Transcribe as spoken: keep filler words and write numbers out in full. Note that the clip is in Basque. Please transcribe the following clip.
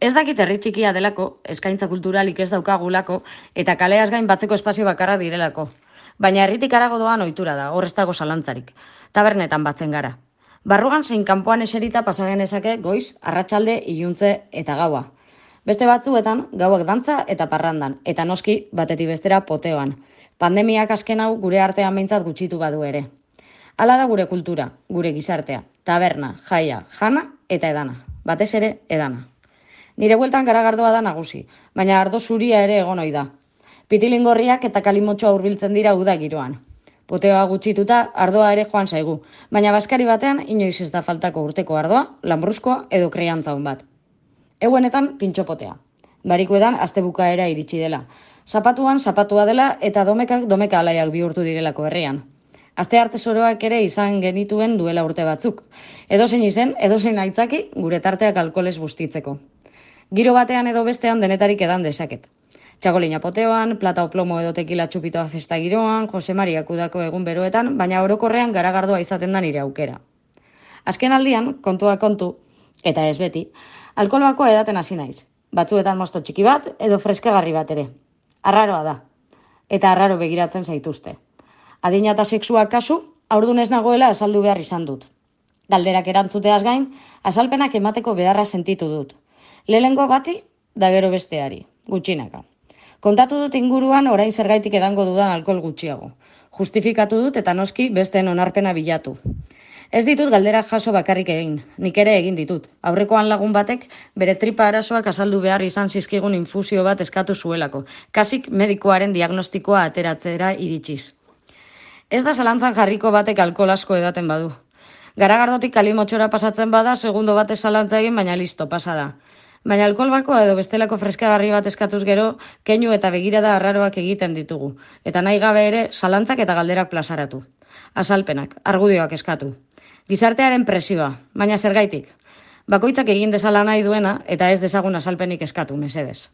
Ez dakit herri txikia delako, eskaintza kulturalik ez daukagulako, eta kaleaz gain batzeko espazio bakarra direlako. Baina herritik harago doan ohitura da, hor ez dago zalantzarik. Tabernetan batzen gara. Barrugan zein kanpoan eserita pasa genezake goiz, arratsalde, iluntze eta gaua. Beste batzuetan, gauak dantza eta parrandan, eta noski batetik bestera poteoan. Pandemiak azken hau gure artean behintzat gutxitu badu ere. Hala da gure kultura, gure gizartea, taberna, jaia, jana eta edana. Batez ere, edana. Nire bueltan garagardoa da nagusi, baina ardo zuria ere egon ohi da. Pitilingorriak eta kalimotxoa hurbiltzen dira uda giroan. Poteoa gutxituta, ardoa ere joan zaigu, baina baskari batean inoiz ez da faltako urteko ardoa, lambruzkoa edo kriantza hon bat. Euenetan pintxopotea. Barikuetan astebukaera iritsi dela. Zapatuan zapatua dela eta domekak domeka alaiak bihurtu direlako herrian. Aste arte zoroak ere izan genituen duela urte batzuk. Edozein izen, edozein aitzaki gure tarteak alkoholez bustitzeko. Giro batean edo bestean denetarik edan dezaket. Txakolina poteoan, plata o plomo edo tekila txupitoa festa giroan, Jose Maria Kudako egun beroetan, baina orokorrean garagardoa izaten da nire aukera. Azken aldian, kontua kontu, eta ez beti, alkohol bakoa edaten hasi naiz. Batzuetan mosto txiki bat edo freskagarri bat ere. Arraroa da. Eta arraro begiratzen zaituzte. Adina eta sexua kasu, haurdun ez nagoela azaldu behar izan dut. Galderak erantzuteaz gain, azalpenak emateko beharra sentitu dut. Lehengo bati, da gero besteari, gutxinaka. Kontatu dut inguruan orain zergaitik edango dudan alkohol gutxiago. Justifikatu dut eta noski besteen onarpena bilatu. Ez ditut galderak jaso bakarrik egin, nik ere egin ditut. Aurrekoan lagun batek bere tripa arazoak azaldu behar izan zizkigun infusio bat eskatu zuelako, kasik medikoaren diagnostikoa ateratzera iritsiz. Ez da zalantzan jarriko batek alkohol asko edaten badu. Garagardotik kalimotxora pasatzen bada, segundo batez zalantza egin, baina listo, pasa da. Baina alkohol bakoa edo bestelako freskagarri bat eskatuz gero, keinu eta begirada arraroak egiten ditugu, eta nahi gabe ere zalantzak eta galderak plazaratu. Azalpenak, argudioak eskatu. Gizartearen presioa, baina zergaitik. Bakoitzak egin dezala nahi duena eta ez dezagun azalpenik eskatu, mesedez.